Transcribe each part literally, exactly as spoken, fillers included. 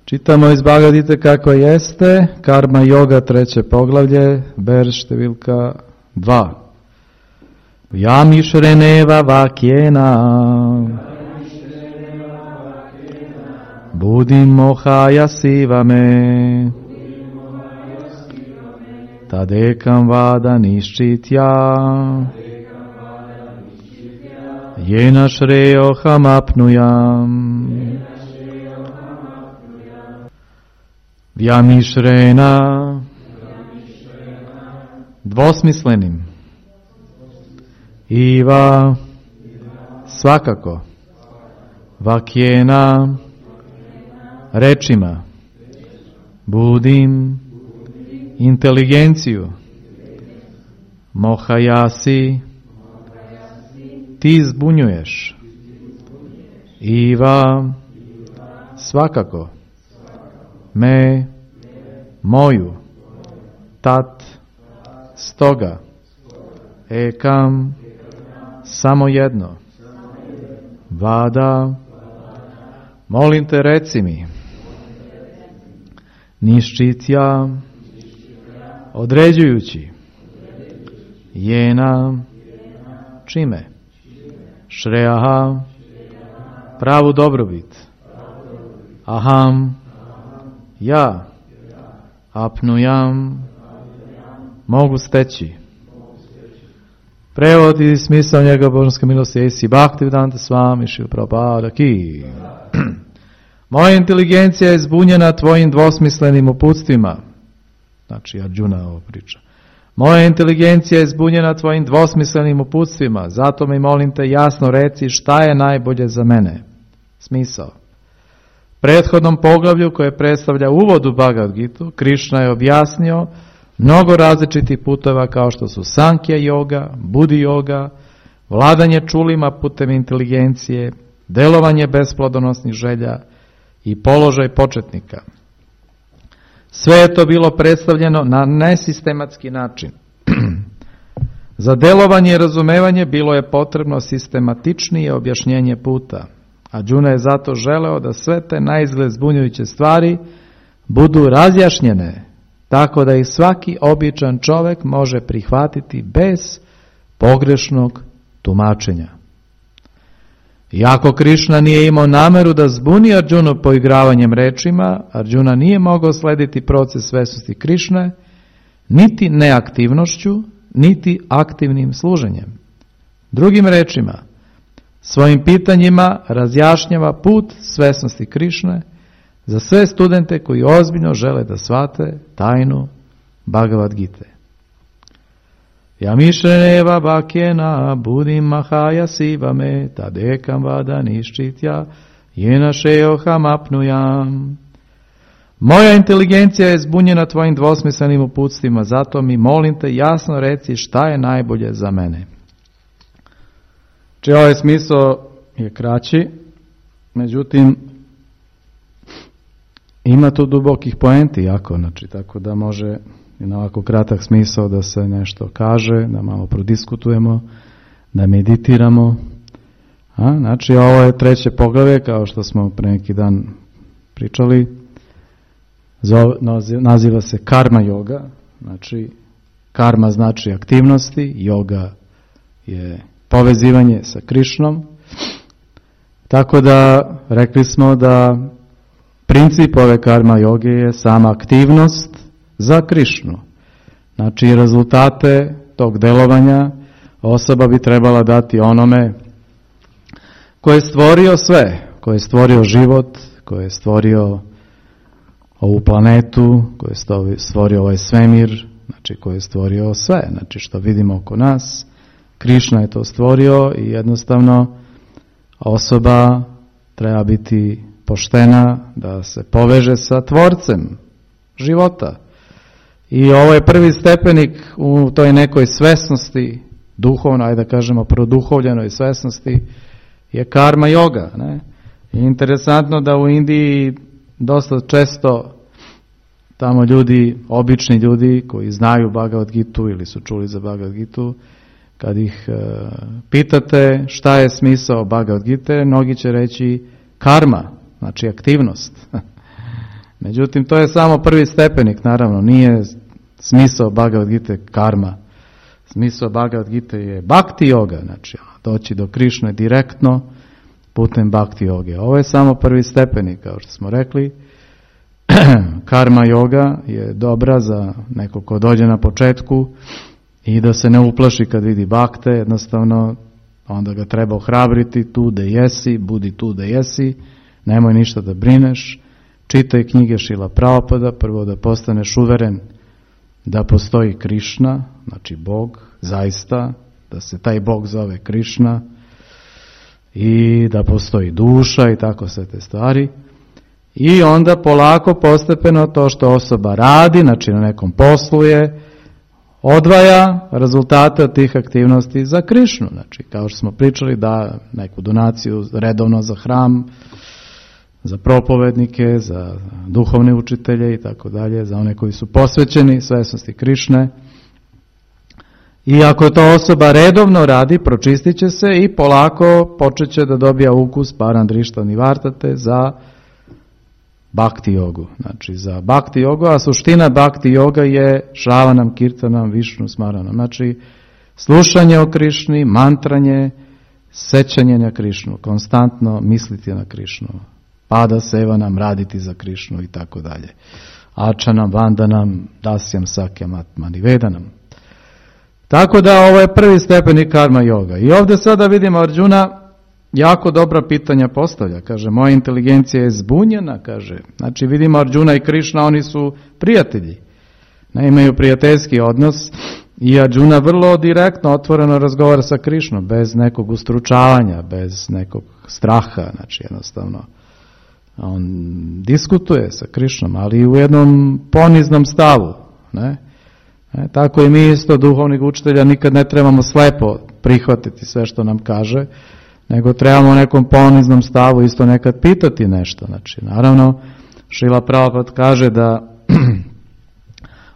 Čitamo iz Bhagavad Gite kako jeste, karma yoga, treće poglavlje, verš številka dva. Yamišreneva vakjena budim mohaya sivame tadekam vada niščitya jena šrejoham apnujam. Vyamišrena, dvosmislenim, iva, svakako, vakjena, rečima, budim, inteligenciju, mohajasi, ti zbunjuješ, iva, svakako, me, moju, tat, stoga, ekam, samo jedno, vada, molim te reci mi, niščitja, određujući, jena, čime, šreaha, pravu dobrobit, aham, ja, apnujam, mogu steći. Prevod i smisao njega božanske milosti Esi Bhaktivedanta Swami Šrila Prabhupada ki. Moja inteligencija je zbunjena tvojim dvosmislenim uputstvima. Znači Arjuna ovo priča. Moja inteligencija je zbunjena tvojim dvosmislenim uputstvima, zato mi molim te jasno reci šta je najbolje za mene. Smisao. Prethodnom poglavlju koje predstavlja uvod u Bhagavad Gitu, Krišna je objasnio mnogo različitih puteva kao što su Sankhya yoga, Budi yoga, vladanje čulima putem inteligencije, delovanje besplodonosnih želja i položaj početnika. Sve je to bilo predstavljeno na nesistematski način. Za delovanje i razumevanje bilo je potrebno sistematičnije objašnjenje puta. Arjuna je zato želeo da sve te naizgled zbunjujuće stvari budu razjašnjene, tako da ih svaki običan čovjek može prihvatiti bez pogrešnog tumačenja. Iako Krišna nije imao nameru da zbuni Arjunu poigravanjem rečima, Arjuna nije mogao slediti proces svesnosti Krišne, niti neaktivnošću, niti aktivnim služenjem. Drugim rečima, svojim pitanjima razjašnjava put svesnosti Krišne za sve studente koji ozbiljno žele da shvate tajnu Bhagavad Gite. Yamišreneva vakjena budim mahaya sivame tadekam vada niščitya jena šrejoham apnujam. Moja inteligencija je zbunjena tvojim dvosmislenim uputstvima, zato mi molim te jasno reci šta je najbolje za mene. Či ovaj smisao je kraći, međutim ima tu dubokih poenti jako, znači tako da može i na ovako kratak smisao da se nešto kaže, da malo prodiskutujemo, da meditiramo. A, znači ovo je treće poglavlje, kao što smo pre neki dan pričali, zove, naziva se karma yoga, znači karma znači aktivnosti, yoga je povezivanje sa Krišnom, tako da rekli smo da princip ove karma joge je sama aktivnost za Krišnu. Znači rezultate tog delovanja osoba bi trebala dati onome ko je stvorio sve, ko je stvorio život, ko je stvorio ovu planetu, ko je stvorio ovaj svemir, znači ko je stvorio sve, znači što vidimo oko nas. Krišna je to stvorio i jednostavno osoba treba biti poštena da se poveže sa tvorcem života. I ovo je prvi stepenik u toj nekoj svesnosti, duhovno, ajde da kažemo produhovljenoj svesnosti, je karma yoga. Ne? I interesantno da u Indiji dosta često tamo ljudi, obični ljudi koji znaju Bhagavad Gitu ili su čuli za Bhagavad Gitu, kad ih uh, pitate šta je smisao Bhagavad Gite, mnogi će reći karma, znači aktivnost. Međutim, to je samo prvi stepenik, naravno, nije smisao Bhagavad Gite karma. Smisao Bhagavad Gite je bhakti yoga, znači doći do Krišne direktno putem bhakti yoge. Ovo je samo prvi stepenik, kao što smo rekli. Karma yoga je dobra za neko ko dođe na početku i da se ne uplaši kad vidi bhakte, jednostavno onda ga treba ohrabriti, tu da jesi, budi tu da jesi, nemoj ništa da brineš, čitaj knjige Šrila Prabhupada, prvo da postaneš uveren da postoji Krišna, znači Bog, zaista, da se taj Bog zove Krišna i da postoji duša i tako sve te stvari. I onda polako, postepeno to što osoba radi, znači na nekom poslu je, odvaja rezultate od tih aktivnosti za Krišnu. Znači, kao što smo pričali, da neku donaciju redovno za hram, za propovednike, za duhovne učitelje i tako dalje, za one koji su posvećeni svesnosti Krišne. I ako to osoba redovno radi, pročistit će se i polako počet će da dobija ukus parandrišta nivartate za bhakti jogu. Znači za bhakti jogu, a suština bhakti joga je šravanam, kirtanam, višnu smaranam. Znači slušanje o Krišni, mantranje, sećanje na Krišnu, konstantno misliti na Krišnu, pada sevanam, raditi za Krišnu i tako dalje. Ačanam, vandanam, dasyam, sakyam, atmanivedanam. Tako da ovo je prvi stepenik karma yoga. I ovdje sada vidimo Arjuna jako dobra pitanja postavlja. Kaže, moja inteligencija je zbunjena, kaže. Znači vidimo Arjuna i Krišna, oni su prijatelji. Ne imaju prijateljski odnos i Arjuna vrlo direktno, otvoreno razgovara sa Krišnom, bez nekog ustručavanja, bez nekog straha, znači jednostavno. On diskutuje sa Krišnom, ali u jednom poniznom stavu, ne? E, tako i mi isto duhovnih učitelja nikad ne trebamo slepo prihvatiti sve što nam kaže, nego trebamo u nekom poniznom stavu isto nekad pitati nešto. Znači, naravno, Šrila Prabhupada kaže da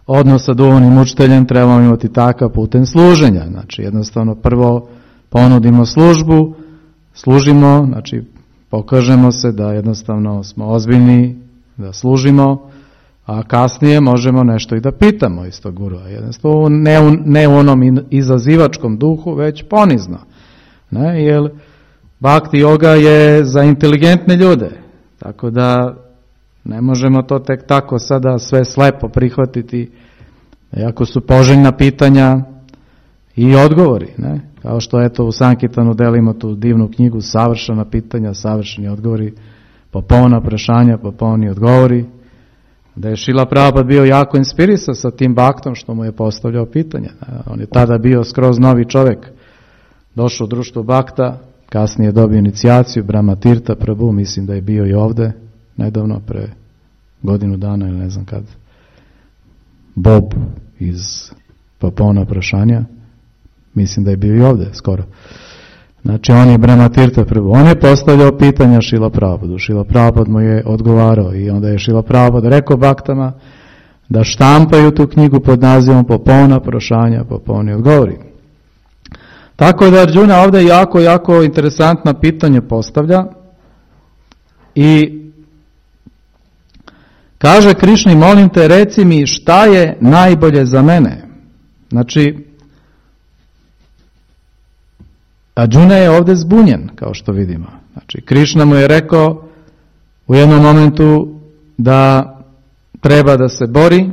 odnos sa duhovnim učiteljem trebamo imati takav putem služenja. Znači, jednostavno prvo ponudimo službu, služimo, znači pokažemo se da jednostavno smo ozbiljni, da služimo, a kasnije možemo nešto i da pitamo isto gurua. Jednostavno ne u, ne u onom izazivačkom duhu, već ponizno. Ne, jer bhakti yoga je za inteligentne ljude, tako da ne možemo to tek tako sada sve slepo prihvatiti, iako su poželjna pitanja i odgovori. Ne? Kao što eto u Sankirtanu delimo tu divnu knjigu savršena pitanja, savršeni odgovori, popolna prašanja, popolni odgovori, da je Šrila Prabhupada bio jako inspirisan sa tim bhaktom što mu je postavljao pitanja. On je tada bio skroz novi čovjek, došao u društvo bhakta, kasnije dobio inicijaciju Brahma Tirtha Prabhu, mislim da je bio i ovdje nedavno, pre godinu dana ili ne znam kad. Bob iz Popolna prašanja, mislim da je bio i ovdje skoro. Znači on je Brahma Tirtha Prabhu. On je postavljao pitanja Šrila Prabhupada. Šrila Prabhupada mu je odgovarao i onda je Šrila Prabhupada rekao baktama da štampaju tu knjigu pod nazivom Popolna prašanja, popolni odgovori. Tako da Arjuna ovdje jako, jako interesantna pitanja postavlja i kaže Krišni, molim te, reci mi šta je najbolje za mene. Znači, Arjuna je ovdje zbunjen, kao što vidimo. Znači, Krišna mu je rekao u jednom momentu da treba da se bori,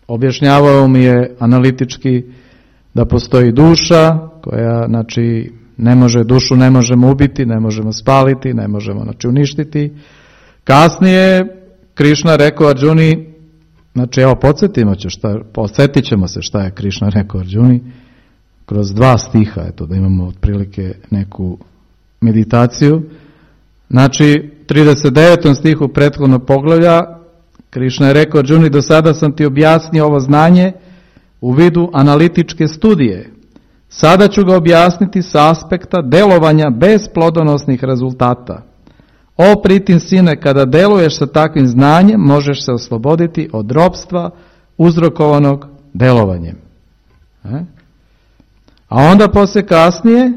objašnjavao mi je analitički da postoji duša koja, znači, ne može, dušu ne možemo ubiti, ne možemo spaliti, ne možemo, znači, uništiti. Kasnije Krišna rekao Arjuni, znači, evo, podsjetimo će šta, podsjetit ćemo se šta je Krišna rekao Arjuni, kroz dva stiha, eto, da imamo otprilike neku meditaciju. Znači, trideset devetom stihu prethodnog poglavlja, Krišna je rekao Arjuni, do sada sam ti objasnio ovo znanje u vidu analitičke studije. Sada ću ga objasniti sa aspekta delovanja bez plodonosnih rezultata. O pritin sine, kada deluješ sa takvim znanjem, možeš se osloboditi od ropstva uzrokovanog delovanjem. E? A onda poslije kasnije,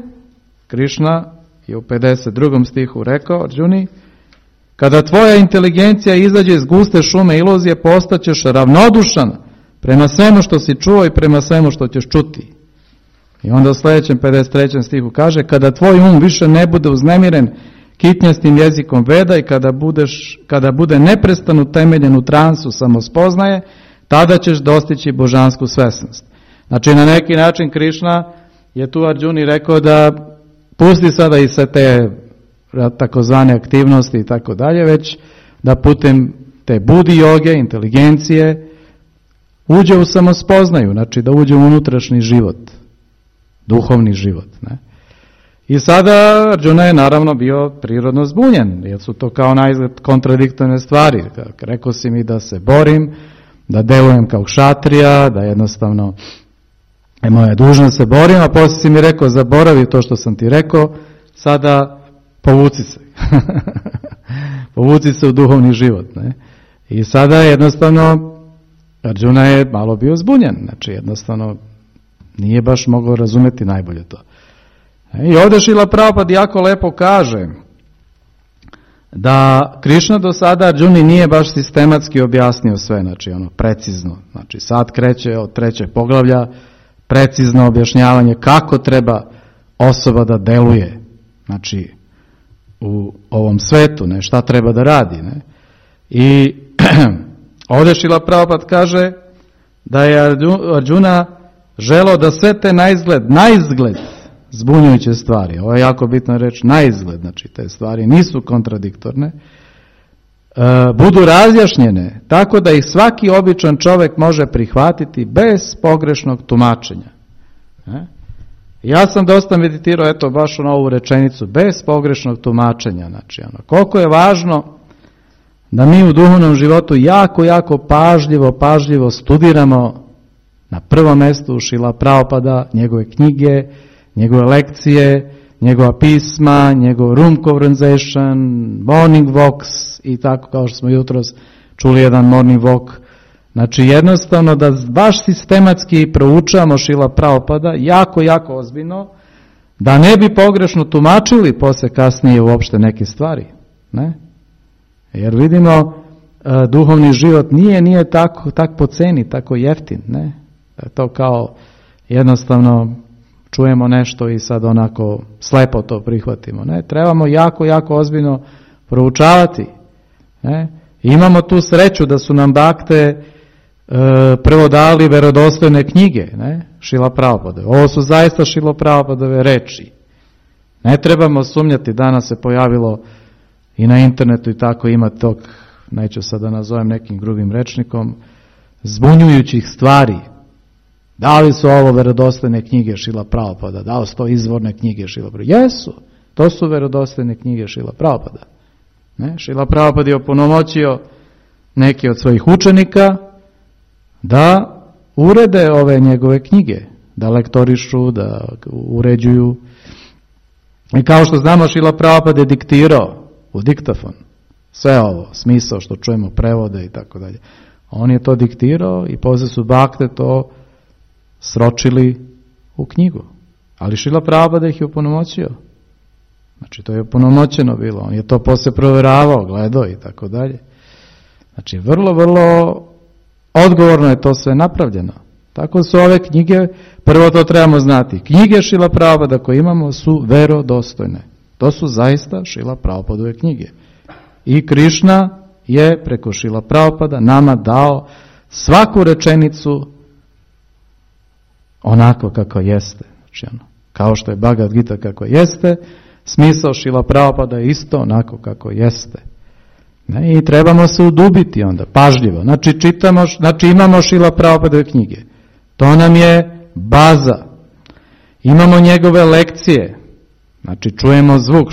Krišna je u pedeset drugom stihu rekao Arjuni, Kada tvoja inteligencija izađe iz guste šume iluzije, postaćeš ravnodušan prema svemu što si čuo i prema svemu što ćeš čuti. I onda u sljedećem pedeset trećem stihu kaže, kada tvoj um više ne bude uznemiren kitnjastim jezikom veda i kada, budeš, kada bude neprestano temeljen u transu samospoznaje, tada ćeš dostići božansku svesnost. Znači na neki način Krišna je tu Arđuni rekao da pusti sada i sve te takozvane aktivnosti i tako dalje, već da putem te budi joge, inteligencije, uđe u samospoznaju, znači da uđe u unutrašnji život, duhovni život. Ne? I sada Arđuna je naravno bio prirodno zbunjen, jer su to kao naizgled kontradiktorne stvari. Rekao si mi da se borim, da delujem kao kšatrija, da jednostavno je moja dužnost se borim, a poslije si mi rekao zaboravi to što sam ti rekao, sada povuci se. Povuci se u duhovni život. Ne? I sada jednostavno Arđuna je malo bio zbunjen, znači jednostavno nije baš mogao razumjeti najbolje to. I ovdje Šrila Prabhupada jako lepo kaže da Krišna do sada Arđuni nije baš sistematski objasnio sve, znači ono precizno. Znači sad kreće od trećeg poglavlja precizno objašnjavanje kako treba osoba da deluje, znači u ovom svetu, ne, šta treba da radi. Ne. I ovdje Šrila Prabhupada kaže da je Arđuna želeo da sve te naizgled, naizgled zbunjujuće stvari, ovo je jako bitno reći, naizgled, znači te stvari nisu kontradiktorne, budu razjašnjene tako da ih svaki običan čovjek može prihvatiti bez pogrešnog tumačenja. Ja sam dosta meditirao, eto, baš na ovu rečenicu, bez pogrešnog tumačenja. Znači, ono, koliko je važno da mi u duhovnom životu jako, jako pažljivo, pažljivo studiramo na prvom mjestu Šrila Prabhupada, njegove knjige, njegove lekcije, njegova pisma, njegov room conversation, morning walks i tako kao što smo jutros čuli jedan morning walk. Znači jednostavno da baš sistematski proučavamo Šrila Prabhupada jako, jako ozbiljno, da ne bi pogrešno tumačili poslije kasnije uopšte neke stvari. Ne? Jer vidimo, duhovni život nije, nije tako, tak po ceni, tako jeftin. Ne? To kao jednostavno čujemo nešto i sad onako slepo to prihvatimo. Ne? Trebamo jako, jako ozbiljno proučavati. Ne? Imamo tu sreću da su nam bakte e, prvo dali verodostojne knjige, ne? Šrila Prabhupada. Ovo su zaista Šrila Prabhupadove reči. Ne trebamo sumnjati, danas se pojavilo i na internetu i tako ima tog, neću sad da nazovem nekim grubim rečnikom, zbunjujućih stvari. Da li su ovo verodostojne knjige Šrila Prabhupada? Da li su to izvorne knjige Šrila Prabhupada? Jesu, to su verodostojne knjige Šrila Prabhupada. Ne? Šrila Prabhupada je opunomoćio neke od svojih učenika da urede ove njegove knjige, da lektorišu, da uređuju. I kao što znamo, Šrila Prabhupada je diktirao u diktafon sve ovo, smisao što čujemo, prevode i tako dalje. On je to diktirao i poslije su bakte to sročili u knjigu. Ali Šrila Prabhupada ih je opunomoćio. Znači to je opunomoćeno bilo. On je to poslije provjeravao, gledao i tako dalje. Znači vrlo, vrlo odgovorno je to sve napravljeno. Tako su ove knjige, prvo to trebamo znati. Knjige Šrila Prabhupada koje imamo su verodostojne. To su zaista Šrila Prabhupadove knjige. I Krišna je preko Šrila Prabhupada nama dao svaku rečenicu onako kako jeste. Znači, ono, kao što je Bhagavad Gita kako jeste, smisao Šrila Prabhupada je isto onako kako jeste. Ne? I trebamo se udubiti onda, pažljivo. Znači, čitamo, znači imamo Šrila Prabhupadove knjige. To nam je baza. Imamo njegove lekcije. Znači, čujemo zvuk,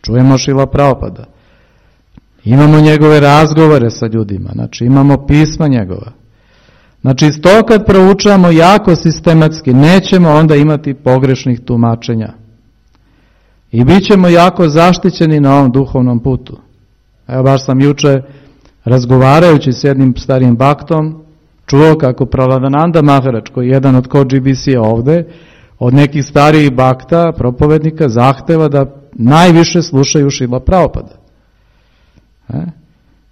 čujemo Šrila Prabhupada. Imamo njegove razgovore sa ljudima. Znači, imamo pisma njegova. Znači, to kad proučavamo jako sistematski, nećemo onda imati pogrešnih tumačenja. I bit ćemo jako zaštićeni na ovom duhovnom putu. Evo, baš sam juče, razgovarajući s jednim starim baktom, čuo kako Praladananda Maharaj, koji je jedan od ko G B C ovdje, od nekih starijih bakta, propovednika, zahteva da najviše slušaju Šrila Prabhupada. E?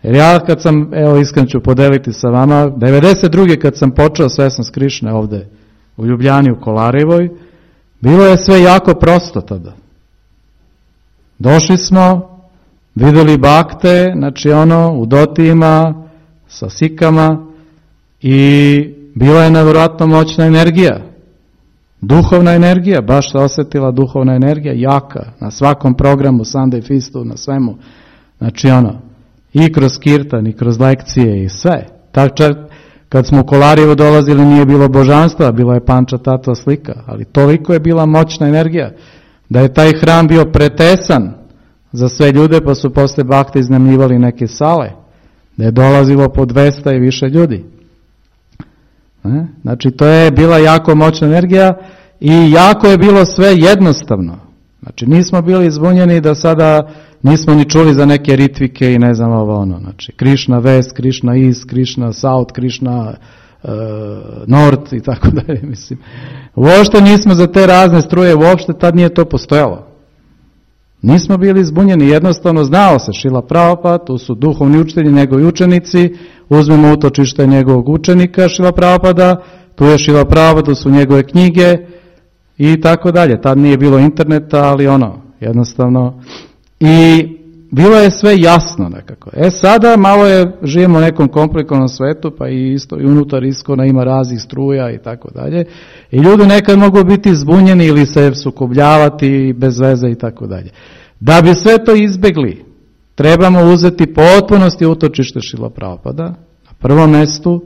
Jer ja kad sam, evo iskreno ću podeliti sa vama, devedeset druge kad sam počeo Svesnost Krišne ovde u Ljubljani, u Kolarevoj, bilo je sve jako prosto tada. Došli smo, videli bakte, znači ono, u dotijima, sa sikama i bila je nevjerojatno moćna energija. Duhovna energija, baš se osjetila duhovna energija, jaka, na svakom programu, Sunday Feastu, na svemu. Znači ono, i kroz kirtan, i kroz lekcije, i sve. Tak čak, kad smo u Kolarijevo dolazili, nije bilo božanstva, bila je Panča Tatva slika, ali toliko je bila moćna energija, da je taj hram bio pretesan za sve ljude, pa su posle bakte iznajmljivali neke sale, da je dolazilo po dvesta i više ljudi. E? Znači, to je bila jako moćna energija i jako je bilo sve jednostavno. Znači, nismo bili zbunjeni da sada nismo ni čuli za neke ritvike i ne znam ovo ono. Znači, Krishna West, Krishna East, Krishna South, Krishna uh, North i tako dalje. Mislim, uopšte nismo za te razne struje, uopšte tad nije to postojalo. Nismo bili zbunjeni, jednostavno znao se Šrila Prabhupada, tu su duhovni učitelji, njegovi učenici, uzmemo utočište njegovog učenika Šrila Prabhupada, tu je Šrila Prabhupada, tu su njegove knjige i tako dalje. Tad nije bilo interneta, ali ono, jednostavno. I bilo je sve jasno nekako. E sada malo je, živimo u nekom komplikovanom svetu, pa i isto i unutar iskona ima raznih struja i tako dalje. I ljudi nekad mogu biti zbunjeni ili se sukobljavati bez veze i tako dalje. Da bi sve to izbjegli, trebamo uzeti potpunosti utočište Šrila Prabhupada na prvom mjestu,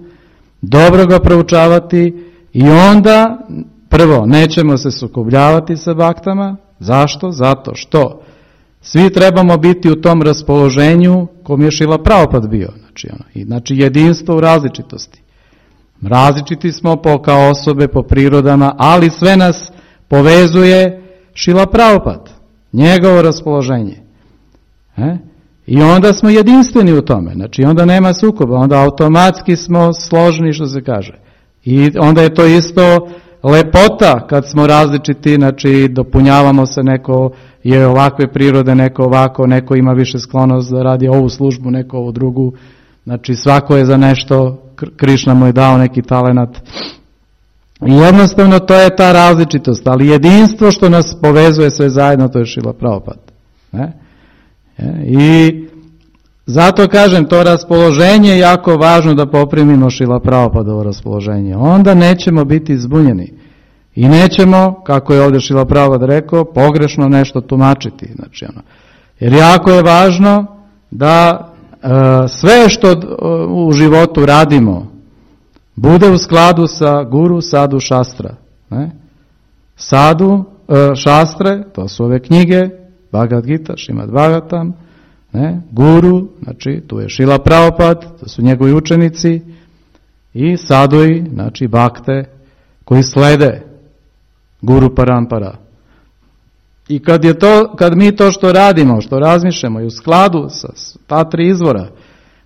dobro ga proučavati i onda prvo nećemo se sukobljavati sa baktama. Zašto? Zato što svi trebamo biti u tom raspoloženju kom je Šrila Prabhupada bio. Znači, ono, i, znači jedinstvo u različitosti. Različiti smo po, kao osobe, po prirodama, ali sve nas povezuje Šrila Prabhupada, njegovo raspoloženje. E? I onda smo jedinstveni u tome. Znači, onda nema sukoba, onda automatski smo složni, što se kaže. I onda je to isto lepota kad smo različiti, znači dopunjavamo se, neko je ovakve prirode, neko ovako, neko ima više sklonost da radi ovu službu, neko ovu drugu. Znači svako je za nešto, Krišna mu je dao neki talenat. I jednostavno to je ta različitost, ali jedinstvo što nas povezuje sve zajedno, to je Šrila Prabhupada. Ne? I zato kažem, to raspoloženje je jako važno da poprimimo Šrila Prabhupadovo raspoloženje. Onda nećemo biti zbunjeni. I nećemo, kako je ovdje Šrila Prabhupada rekao, pogrešno nešto tumačiti. Znači, ono, jer jako je važno da e, sve što e, u životu radimo bude u skladu sa guru, sadu, šastra. Ne? Sadu, e, šastre, to su ove knjige, Bhagavad Gita, Šrimad Bhagavatam, ne? Guru, znači tu je Šrila Prabhupada, to su njegovi učenici, i sadui, znači bakte, koji slede Guru Parampara. I kad je to, kad mi to što radimo, što razmišljamo i u skladu sa ta tri izvora,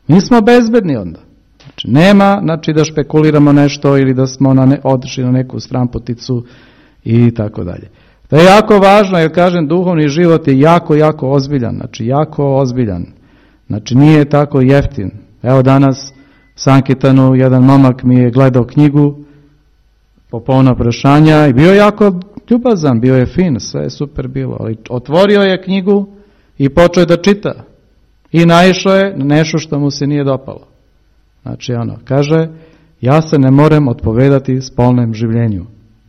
mi smo bezbedni onda. Znači nema, znači da špekuliramo nešto ili da smo na ne, otišli na neku stranputicu i tako dalje. To je jako važno, jer kažem, duhovni život je jako, jako ozbiljan, znači jako ozbiljan. Znači nije tako jeftin. Evo danas Sankirtanu jedan momak mi je gledao knjigu Popovna prašanja i bio jako ljubazan, bio je fin, sve je super bilo, ali otvorio je knjigu i počeo je da čita. I naišao je na nešto što mu se nije dopalo. Znači ono, kaže, ja se ne moram odpovedati spolnom življenju.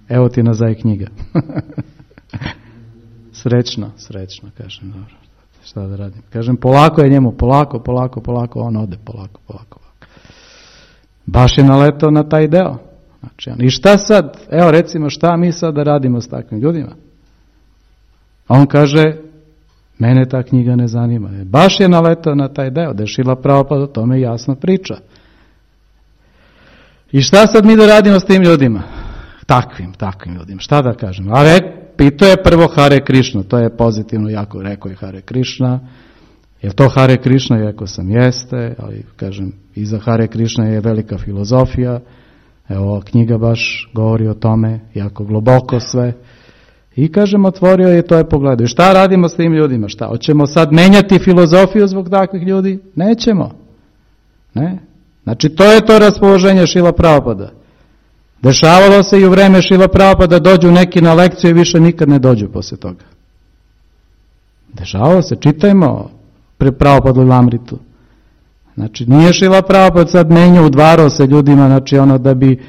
Evo ti nazaj knjiga. Srećno, srećno, kažem, dobro, šta da radim. Kažem, polako je njemu, polako, polako, polako, on ode, polako, polako, polako. Baš je naletao na taj deo. Znači, i šta sad, evo recimo, šta mi sad da radimo s takvim ljudima? A on kaže, mene ta knjiga ne zanima. Baš je naletao na taj deo, da je Šrila Prabhupada o tome jasno priča. I šta sad mi da radimo s tim ljudima? Takvim, takvim ljudima, šta da kažem? A re, pitao je prvo Hare Krishna, to je pozitivno jako, rekao je Hare Krishna. Je to Hare Krishna? Rekao sam, jeste, ali kažem, iza Hare Krishna je velika filozofija. Evo, knjiga baš govori o tome, jako globoko sve. I kažem, otvorio je, to je pogledao. I šta radimo s tim ljudima? Šta? Hoćemo sad menjati filozofiju zbog takvih ljudi? Nećemo. Ne? Znači, to je to raspoloženje Šrila Prabhupada. Dešavalo se i u vreme Šrila Prabhupada dođu neki na lekciju i više nikad ne dođu poslije toga. Dešavalo se, čitajmo pre Prabhupada Lamritu. Znači, nije Šrila Prabhupada sad menjao, udvarao se ljudima, znači ono da bi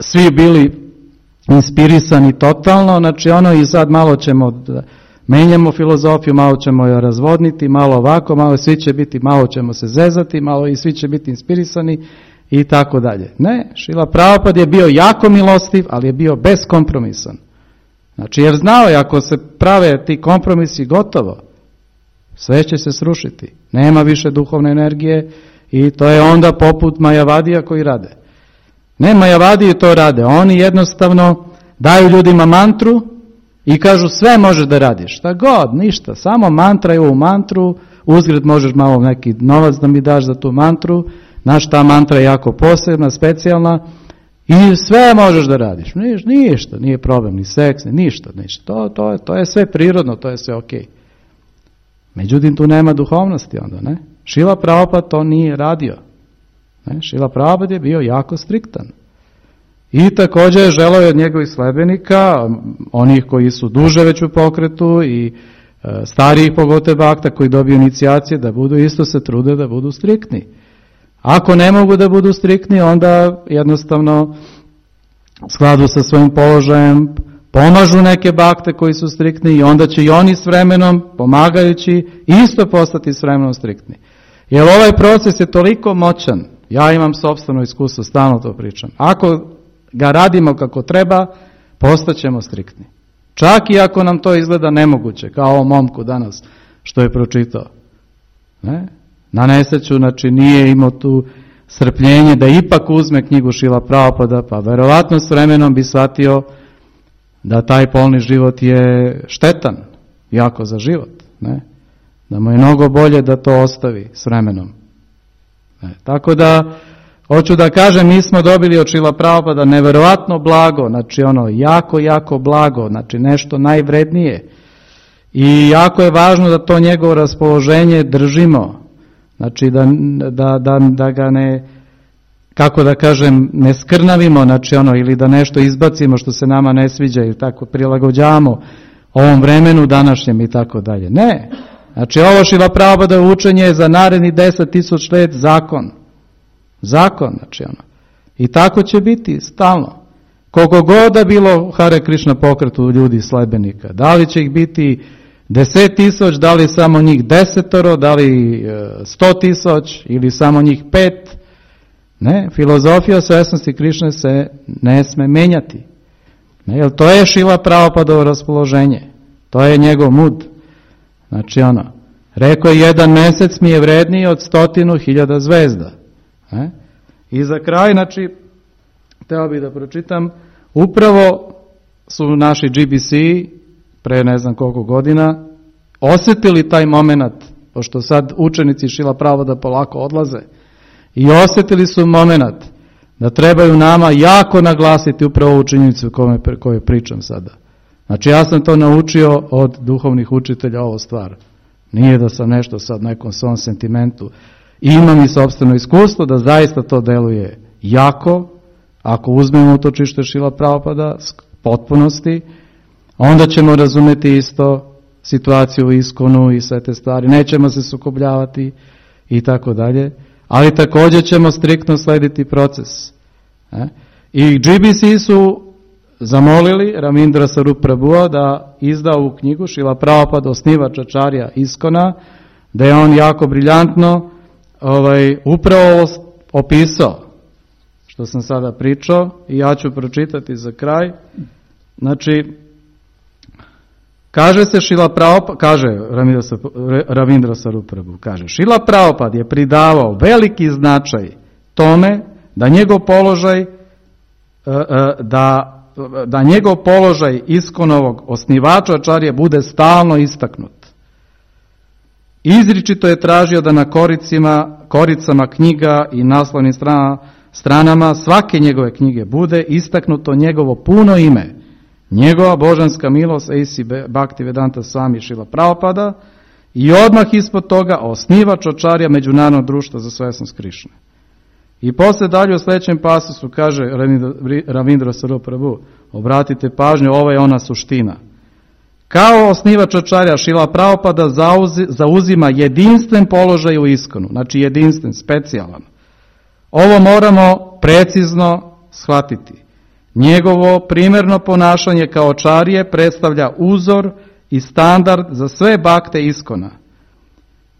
svi bili inspirisani totalno, znači ono i sad malo ćemo da menjamo filozofiju, malo ćemo je razvodniti, malo ovako, malo svi će biti, malo ćemo se zezati, malo i svi će biti inspirisani i tako dalje. Ne, Šrila Prabhupada je bio jako milostiv, ali je bio beskompromisan. Znači, jer znao je, ako se prave ti kompromisi, gotovo, sve će se srušiti. Nema više duhovne energije i to je onda poput Majavadija koji rade. Ne, Majavadiji to rade. Oni jednostavno daju ljudima mantru i kažu sve možeš da radiš. Šta god, ništa. Samo mantra je u mantru, uzgred možeš malo neki novac da mi daš za tu mantru. Znaš, ta mantra je jako posebna, specijalna i sve možeš da radiš. Niš, ništa, nije problem, ni seks, ni ništa. ništa. To, to, to je sve prirodno, to je sve okej. Međutim, tu nema duhovnosti onda, ne? Šrila Prabhupada to nije radio. Ne? Šrila Prabhupada je bio jako striktan. I također je želeo od njegovih sledbenika, onih koji su duže već u pokretu i e, starijih pogotovo bakta koji dobiju inicijacije, da budu isto se trude da budu striktni. Ako ne mogu da budu striktni, onda jednostavno u skladu sa svojim položajem pomažu neke bakte koji su striktni i onda će i oni s vremenom, pomagajući, isto postati s vremenom striktni. Jer ovaj proces je toliko moćan, ja imam sopstveno iskustvo, stalno to pričam. Ako ga radimo kako treba, postaćemo striktni. Čak i ako nam to izgleda nemoguće, kao ovom momku danas što je pročitao. Ne? Na nesreću, znači nije imao tu strpljenje da ipak uzme knjigu Šrila Prabhupada, pa verovatno s vremenom bi shvatio da taj polni život je štetan, jako za život. Ne? Da mu je mnogo bolje da to ostavi s vremenom. Ne? Tako da, hoću da kažem, mi smo dobili od Šrila Prabhupada neverovatno blago, znači ono jako, jako blago, znači nešto najvrednije. I jako je važno da to njegovo raspoloženje držimo. Znači da, da, da, da ga ne, kako da kažem, ne skrnavimo, znači ono, ili da nešto izbacimo što se nama ne sviđa ili tako prilagođavamo ovom vremenu današnjem i tako dalje. Ne, znači ovo Šrila Prabhupada učenje je za naredni deset tisuća let zakon. Zakon, znači ono. I tako će biti stalno. Koliko god da bilo Hare Krishna pokretu ljudi sledbenika, da li će ih biti deset tisuć, da li samo njih desetoro, da li sto tisuć ili samo njih pet. Ne, filozofija svesnosti Krišne se ne sme menjati. Ne, jer to je Šrila Prabhupadovo raspoloženje. To je njegov mud. Znači ono, rekao je jedan mesec mi je vredniji od stotinu hiljada zvezda. Ne? I za kraj, znači, hteo bih da pročitam, upravo su naši G B C pre ne znam koliko godina osjetili taj moment, pošto sad učenici Šrila Prabhupada polako odlaze, i osjetili su moment da trebaju nama jako naglasiti upravo ovu činjenicu koju pričam sada. Znači ja sam to naučio od duhovnih učitelja, ovo stvar. Nije da sam nešto sad nekom svom sentimentu. I imam i sopstveno iskustvo da zaista to deluje jako, ako uzmemo utočište Šrila Prabhupada s potpunosti, onda ćemo razumjeti isto situaciju u Iskonu i sve te stvari. Nećemo se sukobljavati i tako dalje. Ali također ćemo striktno slediti proces. I G B C su zamolili Ramindra Sarup Prabhua da izda ovu knjigu Šrila Prabhupada, osnivač Ačarja Iskona, da je on jako briljantno ovaj, upravo opisao što sam sada pričao i ja ću pročitati za kraj. Znači, kaže se Šrila Prabhupada, kaže Ravindra Sarup Prabhu, kaže, Šrila Prabhupada je pridavao veliki značaj tome da njegov položaj da, da njegov položaj Iskonovog osnivača Ačarje bude stalno istaknut. Izričito je tražio da na koricima, koricama knjiga i naslovnim stranama, stranama svake njegove knjige bude istaknuto njegovo puno ime, Njegova božanska milost, A C Bhaktivedanta Swami Šrila Prabhupada, i odmah ispod toga osnivač Acharya Međunarodnog društva za svesnost Krišne. I posle dalje u sljedećem pasusu kaže Ravindra Sarup Prabhu, obratite pažnju, ovo je ona suština. Kao osnivač Acharya Šrila Prabhupada zauzima jedinstven položaj u iskonu, znači jedinstven, specijalan. Ovo moramo precizno shvatiti. Njegovo primjerno ponašanje kao Acharye predstavlja uzor i standard za sve bakte iskona.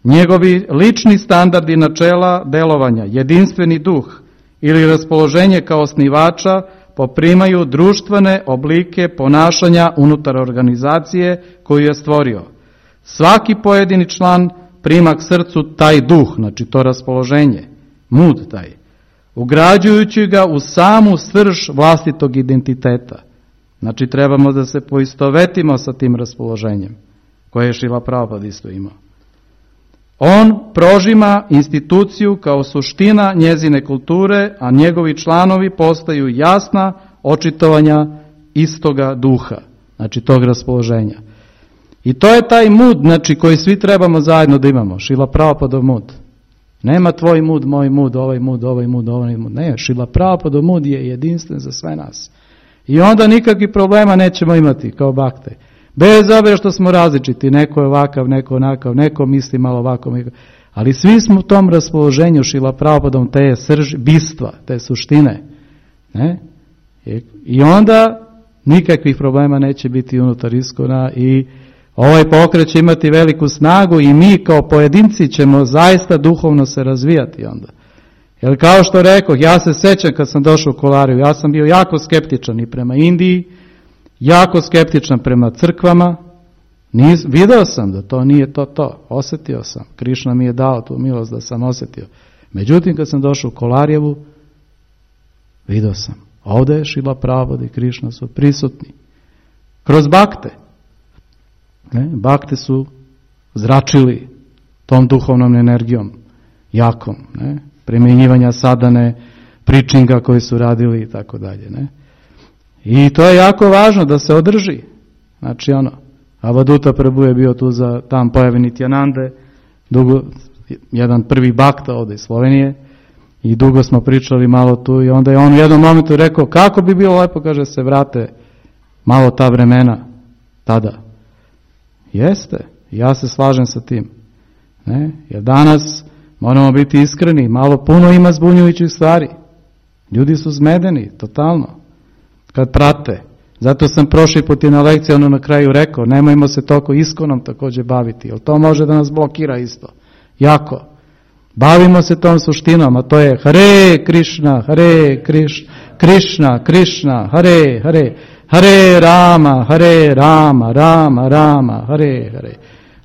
Njegovi lični standardi načela delovanja, jedinstveni duh ili raspoloženje kao osnivača poprimaju društvene oblike ponašanja unutar organizacije koju je stvorio. Svaki pojedini član prima k srcu taj duh, znači to raspoloženje, mood taj, ugrađujući ga u samu srž vlastitog identiteta. Znači trebamo da se poistovetimo sa tim raspoloženjem koje je Šrila Prabhupada isto imao. On prožima instituciju kao suština njezine kulture, a njegovi članovi postaju jasna očitovanja istoga duha, znači tog raspoloženja. I to je taj mood, znači koji svi trebamo zajedno da imamo, Šrila Prabhupada mood. Nema tvoj mood, moj mood, ovaj mood, ovaj mood, ovaj mood. Ne, Šrila Prabhupada mood je jedinstven za sve nas. I onda nikakvih problema nećemo imati kao bakte. Bez obzira što smo različiti, neko je ovakav, neko onakav, neko misli malo ovako, ali svi smo u tom raspoloženju Šrila Prabhupadom te srž, bistva, te suštine. Ne? I onda nikakvih problema neće biti unutar iskona i ovaj pokret će imati veliku snagu i mi kao pojedinci ćemo zaista duhovno se razvijati onda. Jer kao što rekoh, ja se sećam kad sam došao u Kolariju, ja sam bio jako skeptičan i prema Indiji, jako skeptičan prema crkvama, Nis, video sam da to nije to to, osjetio sam, Krišna mi je dao tu milost da sam osjetio. Međutim, kad sam došao u Kolarijevu, video sam, ovdje je Šrila Prabhupada i Krišna su prisutni. Kroz bakte. Ne? Bakte su zračili tom duhovnom energijom, jakom, ne? Primjenjivanja sadane, pričinga koji su radili i tako dalje. Ne? I to je jako važno da se održi. Znači ono, Avaduta Prabhu je bio tu za tam pojavi Nityanande, dugo, jedan prvi bakta ovdje iz Slovenije i dugo smo pričali malo tu i onda je on u jednom momentu rekao kako bi bilo lepo, kaže, se vrate malo ta vremena tada. Jeste, ja se slažem sa tim. Ne? Jer danas moramo biti iskreni, malo puno ima zbunjujućih stvari. Ljudi su zmedeni, totalno, kad prate. Zato sam prošli put i na lekciji ono na kraju rekao, nemojmo se toliko iskonom također baviti, jer to može da nas blokira isto. Jako. Bavimo se tom suštinom, a to je Hare Krišna, Hare Krišna, Krišna, Krišna, Hare, Hare, Hare Rama, Hare Rama, Rama, Rama, Hare, Hare.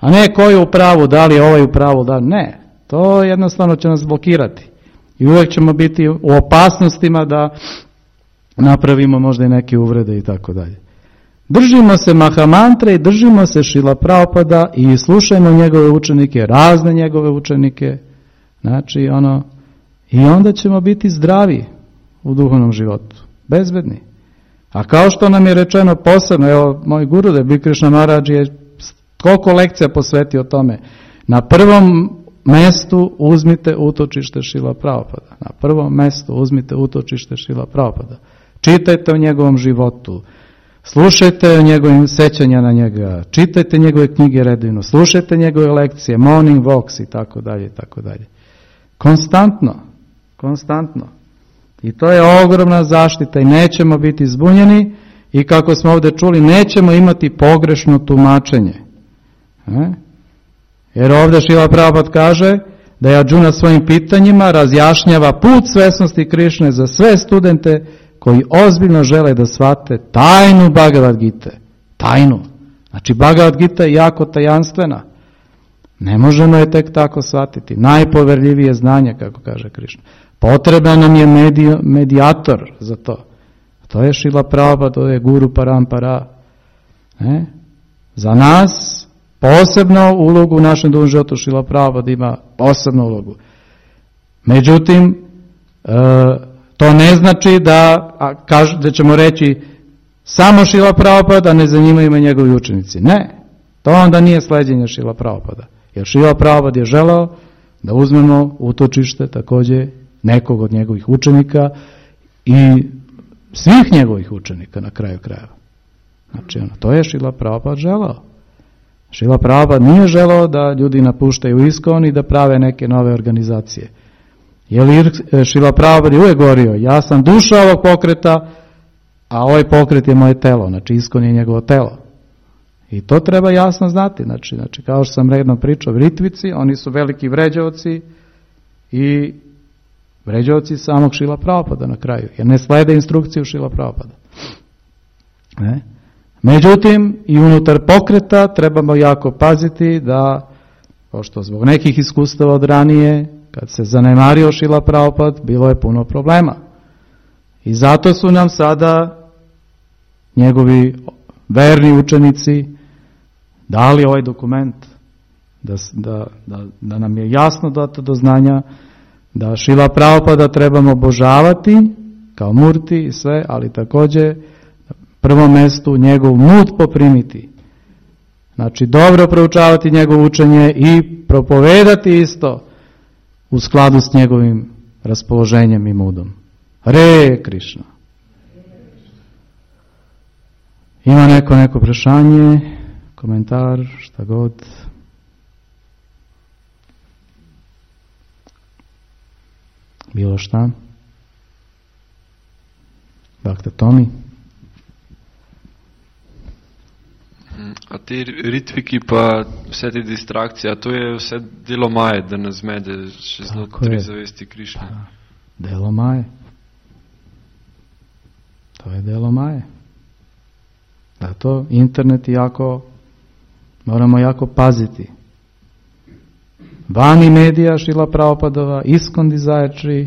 A ne ko je u pravu, da li je ovaj u pravu, da ne. To jednostavno će nas blokirati. I uvijek ćemo biti u opasnostima da napravimo možda i neke uvrede i tako dalje. Držimo se Mahamantre i držimo se Šrila Prabhupada i slušajmo njegove učenike, razne njegove učenike. Znači, ono, i onda ćemo biti zdravi u duhovnom životu, bezbedni. A kao što nam je rečeno posebno, evo, moj Gurudev Bhikti Krishna Maharaj je koliko lekcija posvetio tome. Na prvom mestu uzmite utočište Šrila Prabhupada. Na prvom mestu uzmite utočište Šrila Prabhupada. Čitajte o njegovom životu, slušajte o njegovim sećanja na njega, čitajte njegove knjige redovno, slušajte njegove lekcije, morning walks i tako dalje i tako dalje. Konstantno, konstantno. I to je ogromna zaštita i nećemo biti zbunjeni i kako smo ovdje čuli, nećemo imati pogrešno tumačenje. E? Jer ovdje Šrila Prabhupada kaže da je Arjuna svojim pitanjima razjašnjava put svesnosti Krišne za sve studente koji ozbiljno žele da shvate tajnu Bhagavad Gite. Tajnu. Znači Bhagavad Gita je jako tajanstvena. Ne možemo je tek tako shvatiti. Najpoverljivije znanje, kako kaže Krišna. Potreban nam je medi, medijator za to. To je Šrila Prabhupada, to je Guru Parampara. Ne? Za nas posebno ulogu u našem duhovnom životu Šrila Prabhupada ima posebnu ulogu. Međutim, e, to ne znači da, a, kaž, da ćemo reći samo Šrila Prabhupada, ne zanimaju me njegovi učenici. Ne, to onda nije sleđenje Šrila Prabhupada. Jer Šrila Prabhupada je želeo da uzmemo utočište također nekog od njegovih učenika i svih njegovih učenika na kraju krajeva. Znači, ono, to je Šrila Prabhupada želeo. Šrila Prabhupada nije želeo da ljudi napuštaju ISKCON i da prave neke nove organizacije. Jer Šrila Prabhupada je uvijek govorio, ja sam duša ovog pokreta, a ovaj pokret je moje telo, znači ISKCON je njegovo telo. I to treba jasno znati, znači, znači kao što sam redno pričao, Ritvici, oni su veliki vređavci i vređavci samog Šrila Prabhupada na kraju, jer ne slede instrukciju Šrila Prabhupada. Ne? Međutim, i unutar pokreta trebamo jako paziti da, pošto zbog nekih iskustava od ranije, kad se zanemario Šrila Prabhupada, bilo je puno problema. I zato su nam sada njegovi verni učenici dali ovaj dokument, da, da, da, da nam je jasno dato do znanja da Šrila Prabhupada trebamo obožavati kao murti i sve, ali također prvom mjestu njegov mut poprimiti. Znači dobro proučavati njegovo učenje i propovedati isto u skladu s njegovim raspoloženjem i mudom. Hare Krišna. Ima neko neko prešanje, komentar, šta god. Bilo šta? Bhakta Tomi? A te ritviki pa vse te distrakcije, a to je vse delo Maje, da nas zmede še znotraj zavesti Krišne. Pa, delo Maje. To je delo Maje. Zato internet jako, moramo jako paziti. Vani medija Šrila Prabhupadova, ISKCON Desire,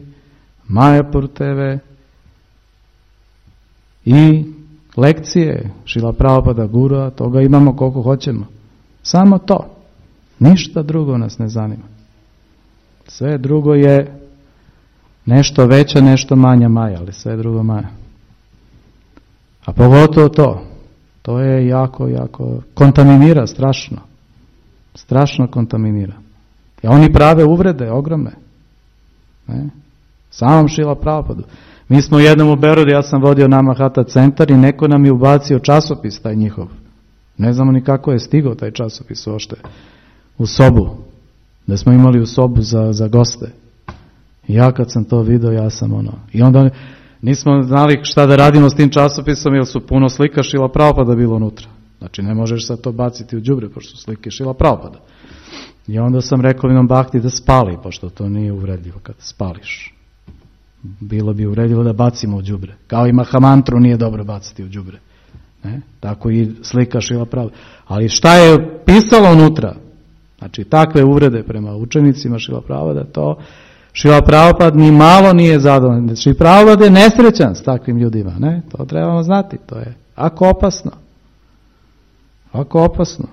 Mayapur te ve i lekcije Šrila Prabhupada Gurua, toga imamo koliko hoćemo. Samo to. Ništa drugo nas ne zanima. Sve drugo je nešto veća, nešto manja maja, ali sve drugo maja. A pogotovo to. To je jako, jako kontaminira strašno. Strašno kontaminira. I oni prave uvrede ogromne. Ne? Samom Šrila Prabhupadu. Mi smo jednom u Beogradu, ja sam vodio nama Hata centar i neko nam je ubacio časopis taj njihov. Ne znamo ni kako je stigao taj časopis uopšte u sobu. Da smo imali u sobu za, za goste. I ja kad sam to vidio, ja sam ono. I onda nismo znali šta da radimo s tim časopisom, jer su puno slika Šrila Prabhupada bilo unutra. Znači ne možeš sad to baciti u đubre, pošto su slike Šrila Prabhupada. I onda sam rekao Vinom Bhakti da spali, pošto to nije uvredljivo kad spališ. Bilo bi uvredljivo da bacimo u đubre. Kao i Mahamantru nije dobro baciti u đubre. Ne? Tako i slika Šrila Prabhupada. Ali šta je pisalo unutra? Znači takve uvrede prema učenicima Šrila Prabhupada, to Šrila Prabhupada ni malo nije zadovoljan. Šrila Prabhupada je nesrećan s takvim ljudima. Ne? To trebamo znati. To je ako opasno. Ako opasno.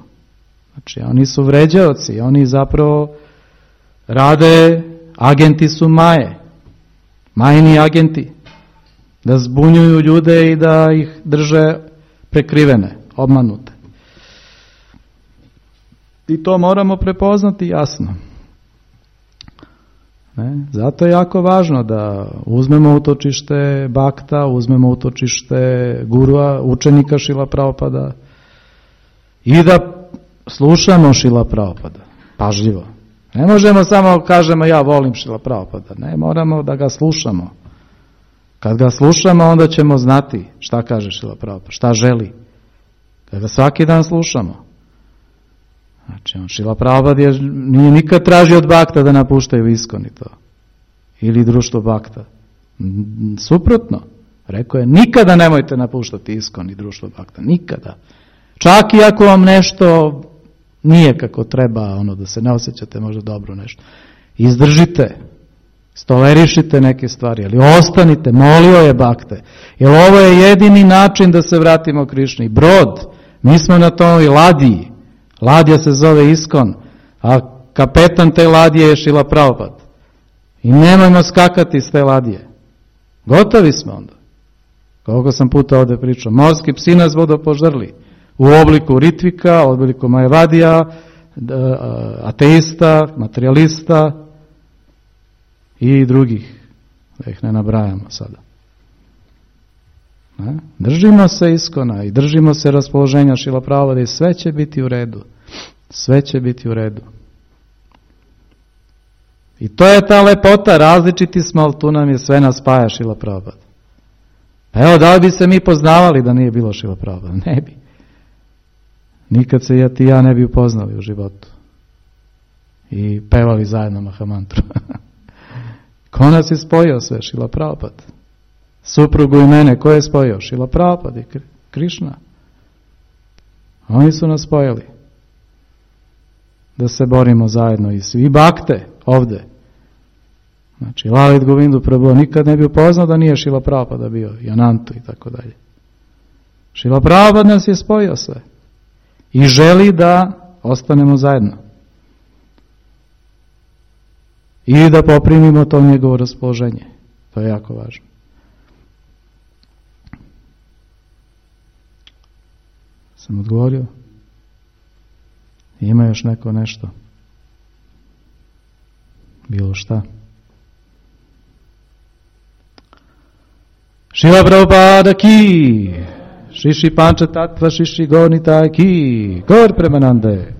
Znači oni su vređaoci. Oni zapravo rade, agenti su Maje. Majni agenti. Da zbunjuju ljude i da ih drže prekrivene, obmanute. I to moramo prepoznati jasno. Ne? Zato je jako važno da uzmemo utočište Bhakta, uzmemo utočište Gurua, učenika Šrila Prabhupada i da slušamo Šrila Prabhupada, pažljivo. Ne možemo samo kažemo ja volim Šrila Prabhupada, ne, moramo da ga slušamo. Kad ga slušamo, onda ćemo znati šta kaže Šrila Prabhupada, šta želi. Kad ga svaki dan slušamo. Znači, on Šrila Prabhupada je, nije nikad tražio od Bhakta da napuštaju ISKCON i to. Ili društvo Bhakta. Suprotno. Rekao je, nikada nemojte napuštati ISKCON i društvo Bhakta. Nikada. Čak i ako vam nešto nije kako treba, ono da se ne osjećate možda dobro nešto. Izdržite. Stolerišite neke stvari, ali ostanite, molio je Bhakte. Jer ovo je jedini način da se vratimo Krišni. Brod. Mi smo na toj ladiji. Ladija se zove ISKCON, a kapetan te ladije je Šrila Prabhupada. I nemojmo skakati iz te ladije. Gotovi smo onda. Koliko sam puta ovdje pričao, morski psi nas vodo požrli u obliku Ritvika, u obliku Majavadija, ateista, materijalista i drugih, da ih ne nabrajamo sada. Ne? Držimo se Iskona i držimo se raspoloženja Šrila Prabhupada i sve će biti u redu. Sve će biti u redu. I to je ta lepota, različiti smo, ali tu nam je sve nas spaja Šrila Prabhupada. Evo, da li bi se mi poznavali da nije bilo Šrila Prabhupada? Ne bi. Nikad se ja, ti ja ne bi upoznali u životu. I pevali zajedno Mahamantru. Ko nas je spojio sve? Šrila Prabhupada. Suprugu i mene, ko je spojio? Šrila Prabhupada i Krišna. Oni su nas spojili. Da se borimo zajedno i svi bakte ovde. Znači, Lalit Govindu Prabhu nikad ne bi upoznao da nije Šrila Prabhupada bio, i Anantu i tako dalje. Šrila Prabhupada nas je spojio sve. I želi da ostanemo zajedno. I da poprimimo to njegovo raspoloženje. To je jako važno. Sam odgovorio? Ima još neko nešto? Bilo šta? Šrila Prabhupada ki, Šiši Panča Tattva Šiši Gornita ki, Gor Premanande.